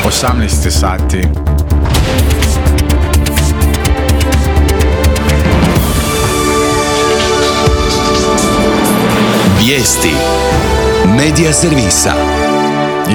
18 sati. Vijesti Medija servisa.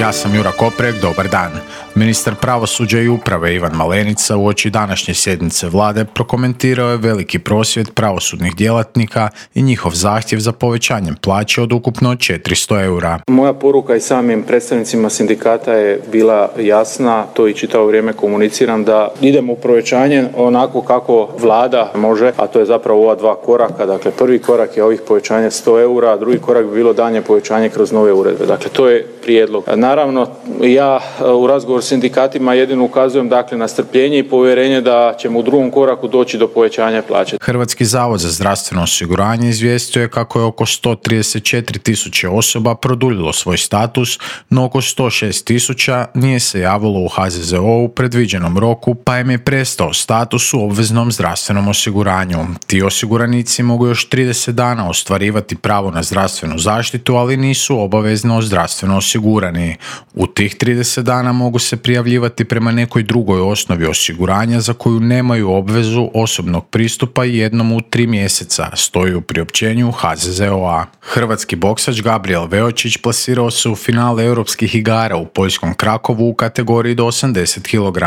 Ja sam Jura Koprek, dobar dan. Ministar pravosuđa i uprave Ivan Malenica uoči današnje sjednice vlade prokomentirao je veliki prosvjed pravosudnih djelatnika i njihov zahtjev za povećanjem plaće od ukupno 400 eura. Moja poruka i samim predstavnicima sindikata je bila jasna, to i čitavo vrijeme komuniciram, da idemo u povećanje onako kako vlada može, a to je zapravo ova dva koraka. Dakle, prvi korak je ovih povećanja 100 eura, a drugi korak bi bilo daljnje povećanje kroz nove uredbe. Dakle, to je prijedlog. Naravno, ja u razgovoru s sindikatima jedino ukazujem na strpljenje i povjerenje da ćemo u drugom koraku doći do povećanja plaće. Hrvatski zavod za zdravstveno osiguranje izvijestio je kako je oko 134.000 osoba produljilo svoj status, no oko 106.000 nije se javilo u HZZO u predviđenom roku, pa im je prestao status u obveznom zdravstvenom osiguranju. Ti osiguranici mogu još 30 dana ostvarivati pravo na zdravstvenu zaštitu, ali nisu obavezno zdravstveno osigurani. U tih 30 dana mogu se prijavljivati prema nekoj drugoj osnovi osiguranja za koju nemaju obvezu osobnog pristupa jednom u 3 mjeseca, stoji u priopćenju HZZO-a. Hrvatski boksač Gabriel Veočić plasirao se u finale europskih igara u poljskom Krakovu u kategoriji do 80 kg.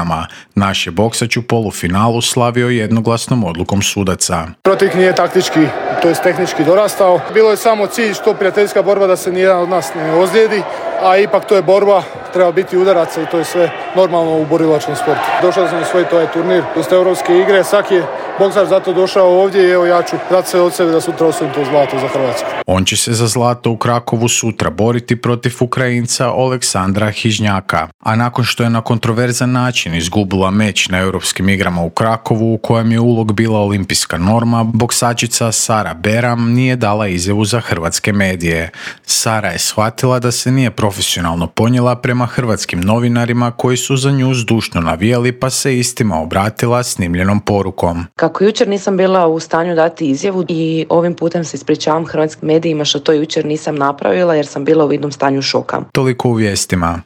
Naš je boksač u polufinalu slavio jednoglasnom odlukom sudaca. Protivnik nije taktički, to je tehnički dorastao. Bilo je samo cilj što prijateljska borba da se nijedan od nas ne ozlijedi, a ipak to je borba, treba biti udaraca i to je sve normalno u borilačkom sportu. Došao sam osvojiti ovaj turnir, to su europske igre, svaki je boksač zato došao ovdje i evo ja ću dati sve od sebe da sutra osvojim to zlato za Hrvatsku. On će se za zlato u Krakovu sutra boriti protiv Ukrajinca Oleksandra Hižnjaka, a nakon što je na kontroverzan način izgubila meč na europskim igrama u Krakovu u kojem je ulog bila olimpijska norma, boksačica Sara Beram nije dala izjavu za hrvatske medije. Sara je shvatila da se nije profesionalno ponijela prema hrvatskim novinarima koji su za nju zdušno navijali, pa se istima obratila snimljenom porukom. Kako jučer nisam bila u stanju dati izjavu i ovim putem se ispričavam hrvatskim medijima što to jučer nisam napravila jer sam bila u vidnom stanju šoka. Toliko u vijestima.